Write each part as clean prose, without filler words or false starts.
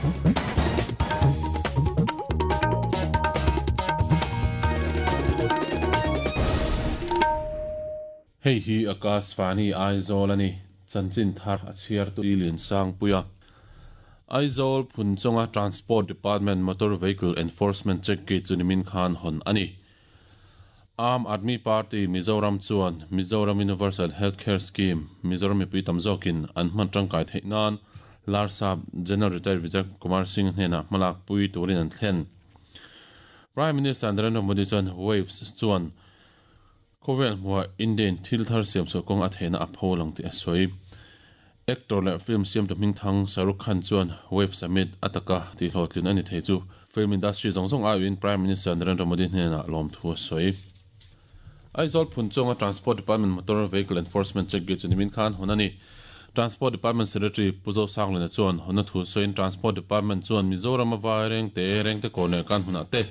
Hei hi Akashvani Aizawl a ni. Chanchin thar a chhiartu Liansangpuia. Aizawl Phunchawnga Transport Department Motor Vehicle Enforcement Check Gate chu nimin khan hawn a ni. Aam Aadmi Party Mizoram chuan Mizoram Universal Health Care Scheme Mizoram mipui tam zawkin an hman tangkai theih nan Larsap General Retired Vijay Kumar Singh hnenah hmalak pui turin an thlen. Prime Minister Narendra Modi chuan Waves chuan Khawvel hmuhah Indian thil thar siam chhuah kawng a theihna a pho lang tih a sawi. Actor leh film siamtu hmingthang Shah Rukh Khan chuan Wave Summit a taka tihhlawhtlin a ni thei chu film industry zawng zawng aiin Prime Minister Narendra Modi hnenah lawmthu a sawi. Aizawl Phunchawnga Transport Department Motor Vehicle Enforcement Check Gate chu nimin khan hawn a ni. Transport Department Secretary Pu Zosanglina chuan hawnna thu sawiin Transport Department chuan Mizoram a vai rengte rengte kawr leh kan hunah te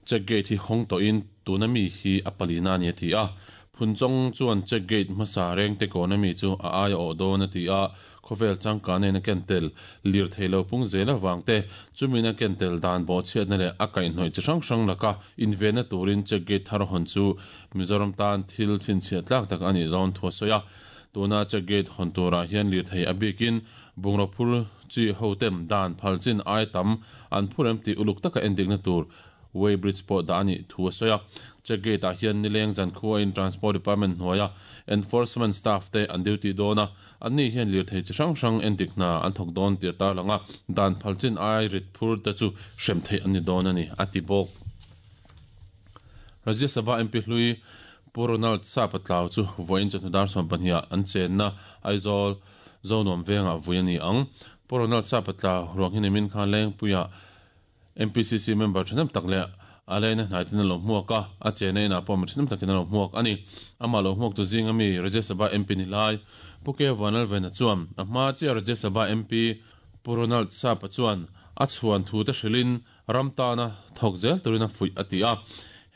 Check gate hi hawng tawhin tuna mi hi a palina a ni a ti a. Phunchawng chuan check gate hmasa rengte kawna mi chu a aia awh dawn a ti a, khawvel changkana in a ken tel lirthei lo pung zel avang te, chumin a ken tel dan bawhchhiatna leh a kaihhnawih chi hrang hrang laka invenna turin check gate thar hawn chu Mizoram tan thil chhinchhiah tlak tak a nih dawn thu a sawi a. Tuna check gate hawn turah hian lirthei a bikin bungraw phur chi hotem dan phal chin ai tam an phur em tih uluk taka endikna tur Weigh bridge pawh dah a nih thu a sawi a. Check gate ah hian nileng zankhua in Transport Department hnuaia Enforcement staff te an duty dawn a, anni hian lirthei chi hrang hrang endik hna an thawk dawn tih a tarlang a, dan phal chin ai rit phur te chu hrem theih an ni dawn a ni, a ti bawk. Rajya Sabha MP hlui Pu Ronald Sapatlau chu vawiin chawhnu dar 12 ah an chenna Aizawl Zonuam vengah vui a ni ang. Pu Ronald Sapatlau ruang hi nimin khan Lengpuiah MPCC member thahnem tak leh a leina hnaitin a lo hmuak a, a chena inah pawh mi thahnem takin a lo hmuak a ni. Amah lo hmuaktu zinga mi Rajya Sabha MP ni lai Pu K Vanlalvena chuan a hma chiah Rajya Sabha MP Pu Ronald Sapa chuan a chhuan thu te hrilhin ram tana thawk zel turin a fuih a ti a.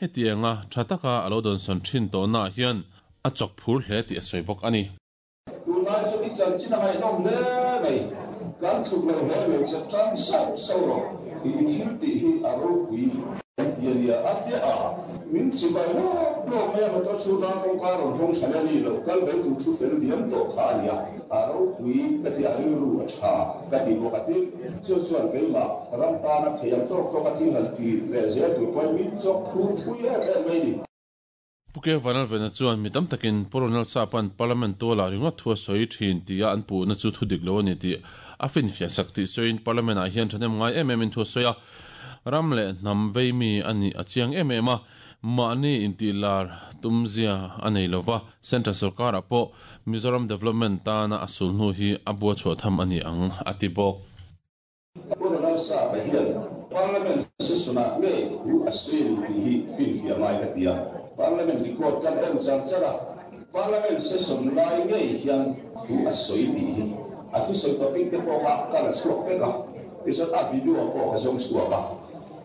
Hetianga tha taka a lo dawnsawn thin tawhnaah hian a chawk phur hle tih a sawi bawk a ni. Tunlai chu i chanchin a ngaihnawm hle mai. Kan tluk lo hle mai che tang sauh sauh rawh. I thil tih hi a ropui kan ti a nia. A tia a, min chibai lawk lawk mai a, motor chu dar kawngka rawn hawng tha leh a ni lo, kal mai tur thu fel diam tawh kha a nia. A ropui ka ti a, rilru a tha ka ti bawk a ti. Chu chuan keimah ram tana thei ang tawk tawk a thil han ti leh zel tur pawhin min chawk phur thui em em mai ni. Pu K. Vanlalvena chuan mi tam takin Pu Ronald Sapa'n Parliament tualah ringawt thu a sawi thin tia an puhna chu thu dik lo a ni tih a finfiah sak tih sawiin Parliament ah hian thahnem ngai em emin thu a sawi a, ram leh hnam vei mi a nih a chiang em em a, mahni intihlar tumzia a nei lova, Central sorkarah pawh Mizoram Development tana a sulhnu hi a bua chhuah tham a ni ang, a ti bawk. Pu Ronald Sapa hian Parliament session-ah ngei thu a sawi a ni tih hi finfiah ngai ka ti a. Parliament record kan en char char a, Parliament session lai ngei hian thu a sawi tih hi a thusawi topic te pawh kha ka la chhuak vek a, tichuan a video pawh ka zawng chhuak a.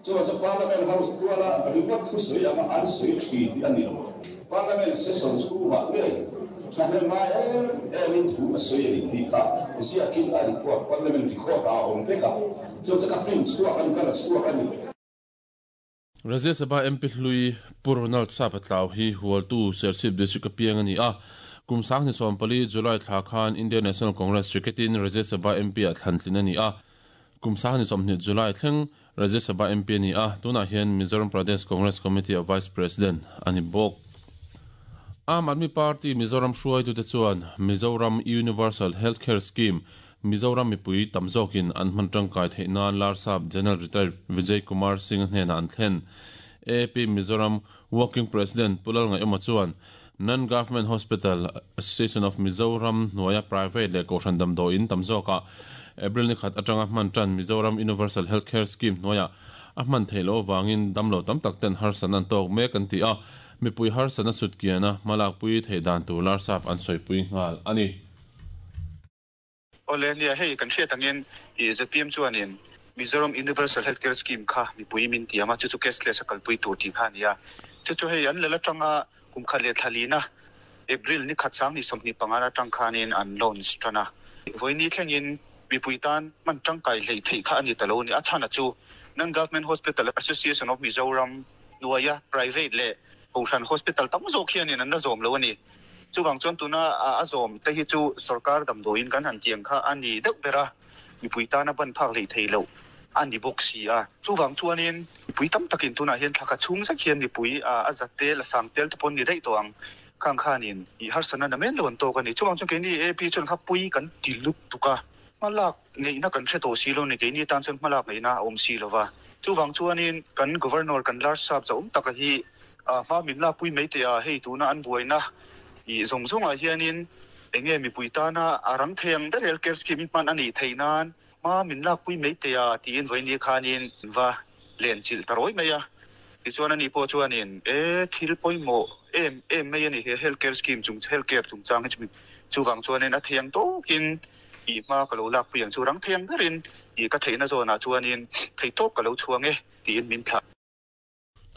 Chuvang chuan Parliament House tuala ringawt thusawi anga an sawi thin tih a ni lo. Parliament session chhungah ngei thahnem ngai em emin thu a sawi a ni tih kha ziakin a record, Parliament record ah a awm vek a, chu chu ka print chhuak a ni, ka la chhuak a ni. Rajya Sabha MP hlui Pu Ronald Sapatlau hi Hualtu Serchhip District a piang a ni a, kum 2014 July thla khan Indian National Congress Ticket-in Rajya Sabha MP ah thlan tlin a ni a, kum 2020 July thleng Rajya Sabha MP a ni a, tunah hian Mizoram Pradesh Congress Committee-a Vice President a ni bawk. Aam Aadmi Party Mizoram hruaitute chuan Mizoram Universal Health Care Scheme Mizoram mipui tam zawkin an hman tangkai theih nan Larsap General Retired Vijay Kumar Singh-a hnenah an thlen. AAP Mizoram Working President Pu Lalngaihawma chuan Non-Government Hospital Association of Mizoram hnuaia private leh kohhran damdawiin tam zawkah April ni khat atanga hman tan Mizoram Universal Health Care Scheme hnuaiah a hman theih loh avangin damlo tam tak ten harsatna an tawk mek an ti a, mipui harsatna sutkiana hmalakpui theih dan tur larsap an sawipui nghal a ni. Awle, nia hei kan hriat angin i zpm chuanin Mizoram Universal Health Care Scheme kha mipui min ti ang a, chu chu cashless a kalpui tur tih kha a ni a. Chu chu hei an lal atanga kum khat leh thla lina April ni khat 2025 atang khanin an launch tan a. Vawiini thlengin. mipui tan hman tangkai hleih theih kha a ni ta lo a ni. A chhan a chu Non-Government Hospital Association of Mizoram hnuaia private leh kohhran hospital tam zawk hianin an la zawm lo a ni. Chuvang chuan tuna a zawm te hi chu sorkar damdawiin kan han tiang kha a ni deuh ber a, mipui tana ban phak hleih theih loh a ni bawk si a. Chuvang chuanin mipui tam takin tunah hian thla khat chhung zet hian mipui a za tel, a sang tel te pawh an ni daih tawh ang. Khang khanin i harsatna na men lo an tawk a ni. Chuvang chuan keini AP chuan kha pui kan ti lutuk a, hmalak ngeihna kan hre tawh si lo ni. Keini tan chuan hmalak ngeihna a awm si lo va. Chuvang chuanin kan Governor kan Larsap zahawm taka hi hma min lakpui mai teh a, hei tuna an buaina i zawng zawngah hianin eng nge mipui tana a rang thei ang ber health care scheme hi hman a nih theih nan hma min lakpui mai teh a tiin vawiin khanin va lenchilh ta rawi mai a. Tichuan ani pawh chuanin e thil pawimawh em em mai a ni he health care scheme chung health care chungchang hi chumi chuvang chuanin a thei ang tawkin i hma ka lo lakpui ang chu rang thei ang berin i ka theihna zawnah chuanin thei tawp ka lo chhuang e tiin min thlah.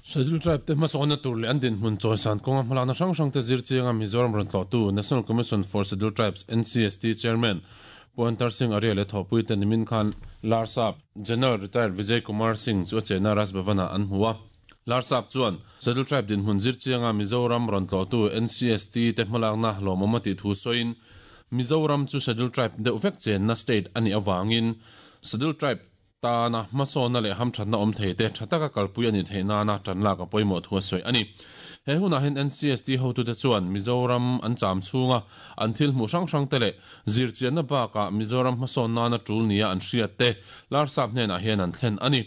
Schedule Tribe te hmasawnna tur leh an dinhmun chawisan kawnga hmalakna hrang hrang te zir chianga Mizoram rawn tlawhtu National Commission for Scheduled Tribes, NCST, Chairman Pu Antar Singh Arya leh thawhpuite nimin khan Larsap General Retired Vijay Kumar Singh chu a chenna Raj Bhavan-ah an hmu a. Larsap chuan Scheduled Tribe dinhmun zir chianga Mizoram rawn tlawhtu NCST te hmalakna lawmawm a tih thu sawiin Mizoram chu Scheduled Tribe deuh vek chenna state a nih avangin Scheduled Tribe tana hmasawnna leh hamthatna awm thei te tha taka kalpui a nih theih nana tan lak a pawimawh thu a sawi a ni. He hunah hian NCST hotute chuan Mizoram an cham chhunga an thil hmuh hrang hrang te leh zirchianna bakah Mizoram hmasawn nana tul nia an hriat te Larsap hnenah hian an thlen a ni.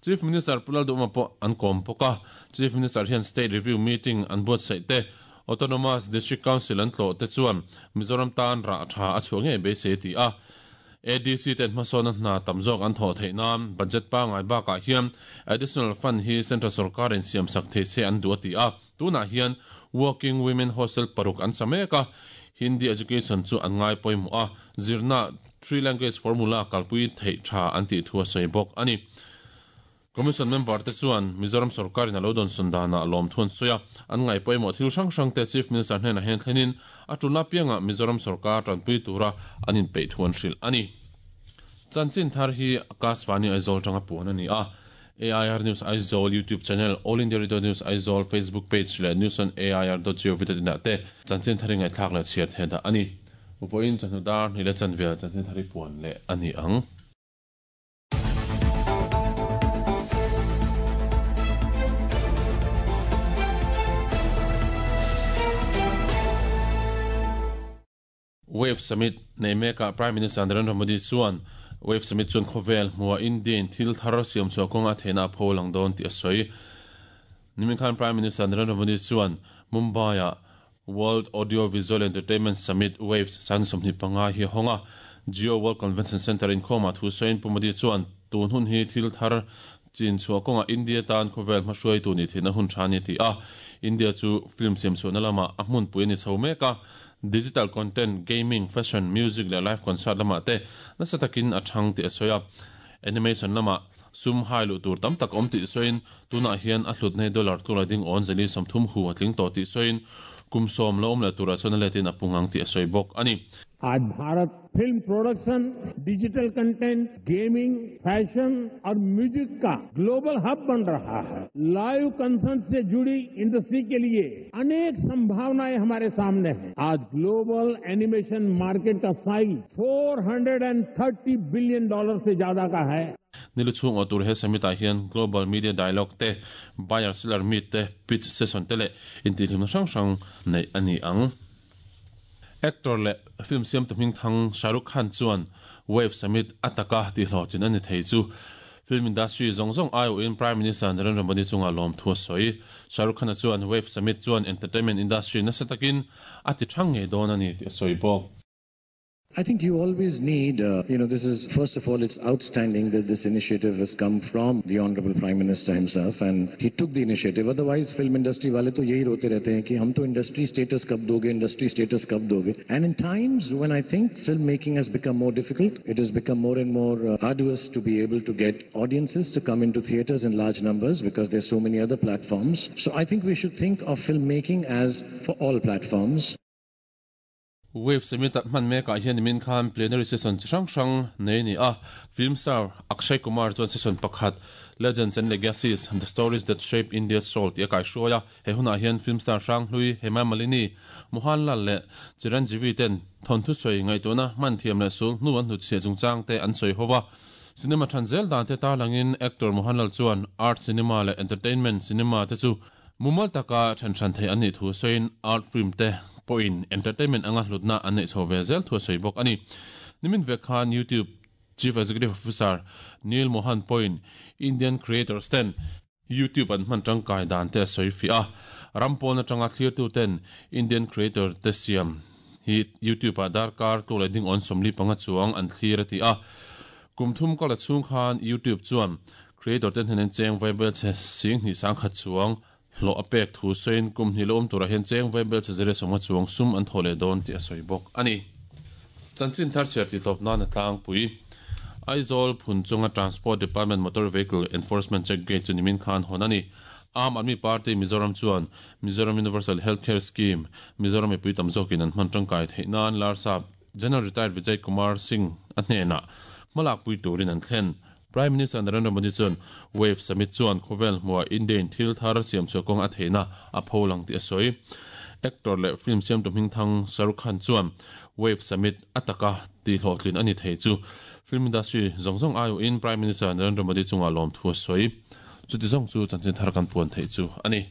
Chief Minister Pu Lalduhma pawh an kawm bawk a, Chief Minister hian State Review Meeting an buatsaih te, Autonomous District Council an tlawh te chuan Mizoram tan rah tha a chhuah ngei beisei a ti a. ADC ten hmasawnna hna tam zawk an thawh theih nan budget pangngai bakah hian additional fund hi central sorkarin siamsak thei se an duh a ti a. Tunah hian Working Women Hostel paruk an sa mek a, Hindi education chu an ngai pawimawh a, zirna three language formula kalpui theih tha an tih thu a sawi bawk a ni. Commission member te chuan Mizoram sorkarin a lo dawnsawn danah lawmthu an sawi a, an ngaih pawimawh thil hrang hrang te Chief Minister hnenah hian thlenin a tul apiangah Mizoram sorkar tanpui tura an inpeih thu an hrilh a ni. Chanchin thar hi Akashvani Aizawl tanga puan a ni a, AIR News Aizawl YouTube channel, All India Radio News Aizawl Facebook page leh newsonair.gov.in ah te chanchin thar i ngaihthlak leh chhiar thei dah a ni. Vawiin chawhnu dar hnih leh chanvel chanchin thar i puan leh a ni ang. Wave Summit nei mekah Prime Minister Narendra Modi chuan Wave Summit chuan khawvel hmuha India-in thil thar siam chhuah kawnga a theihna a pho lang dawn tih a sawi. Nimin khan Prime Minister Narendra Modi chuan Mumbai-ah World Audio Visual Entertainment Summit, Waves, 2025 hi a hawng a. Jio World Convention Centre inkhawmah thu sawiin Pu Modi chuan tun hun hi thil thar chin chhuah kawngah India tan khawvel hmahruaitu nih theihna hun tha a ni a ti a. India chu film siam chhuahna lamah a hmunpui a ni chho mek a. Digital content, gaming, fashion, music leh live concert lamah te nasa takin a thang tih a sawi a. Animation lamah sum hai luh tur tam tak awm tih sawiin tunah hian a hlutna hi dollar tlura ding awn zali 30 hu a tling tawh tih sawiin kum sawm lo awm leh turah chuan a letin a pung ang tih a sawi bawk a ni. Aaj Bharat film production, digital content, gaming, fashion aur music ka global hub ban raha hai. Live concert se judi industry ke liye anek sambhavnayein hamare samne hain. Aaj global animation market ka size 430 billion dollar se zyada ka hai. Nilu chhung awh tur he summit-ah hian Global Media Dialogue te, Buyer Seller Meet te, Pitch Session te leh intihhlimna hrang hrang neih a ni ang. Actor leh film siamtu hmingthang Shah Rukh Khan chuan Wave Summit a taka tihhlawhtlin a ni thei chu film industry zawng zawng aiawhin Prime Minister Narendra Modi chungah lawmthu a sawi. Shah Rukh Khan-a chuan Wave Summit chuan entertainment industry nasa takin a ti thang ngei dawn a ni tih a sawi bawk. I think you always need, uh, you know, this is, first of all, it's outstanding that this initiative has come from the Honorable Prime Minister himself and he took the initiative. Otherwise, film industry wale to yehi rote rehte hain ki hum to industry status kab doge, industry status kab doge. And in times when I think filmmaking has become more difficult, it has become more and more uh, arduous to be able to get audiences to come into theaters in large numbers because there's so many other platforms. So I think we should think of filmmaking as for all platforms. Wave Summit hman mekah hian nimin khan plenary session chi hrang hrang nei a ni a, film star Akshay Kumar chuan session pakhat Legends and Legacies, The Stories That Shape India's Soul tih a kaihruai a, he hunah hian film star hrang hlui Hema Malini, Mohanlal leh Chiranjeevi ten thawnthu sawi ngaihtuahna hman thiam leh sul hnu an hnutchhiah chungchang te an sawi ho a. Cinema than zel dan te tarlangin actor Mohanlal chuan art cinema leh entertainment cinema te chu mumal taka then hran thei an nih thu sawiin art film te pawhin entertainment anga hlutna an neih chho ve zel thu a sawi bawk a ni. Nimin vek khan YouTube Chief Executive Officer Neil Mohan pawhin Indian creators ten YouTube an hman tangkai dan te a sawi fiah a, ram pawn atanga thlirtu ten Indian creator te siam hi YouTube ah darkar tluk leh ding awn 45 chuang an thlir a ti a. Kum thum kal a chhung khan YouTube chuan creator te hnenen cheng vaibel chhe 20,000 chuang hlawh a pek thu sawiin kum hnih la awm turah hian cheng vaibel chhe 150 chuang sum an thawh leh dawn tih a sawi bawk a ni. Chanchin thar chhiar tih tawp nan a tlangpui. Aizawl phun chunga Transport Department Motor Vehicle Enforcement Check Gate chu nimin khan hawn a ni. Aam Aadmi Party Mizoram chuan Mizoram Universal Health Care Scheme, Mizoram mipui tam zawkin an hman tangkai theih nan Larsap General Retired Vijay Kumar Singh a hnenah hmalakpui turin an thlen. Prime Minister Narendra Modi chuan Wave Summit chuan khawvel hmuah India-in thil thar siamchhuah kawng a theihna a pho lang tih a sawi. Actor leh film siamtu hmingthang Shah Rukh Khan chuan Wave Summit a taka tihhlawhtlin a ni thei chu film industry zawng zawng aiawhin Prime Minister Narendra Modi chungah lawmthu a sawi. Chuti zawng chu chanchin thar kan puan theih chu a ni.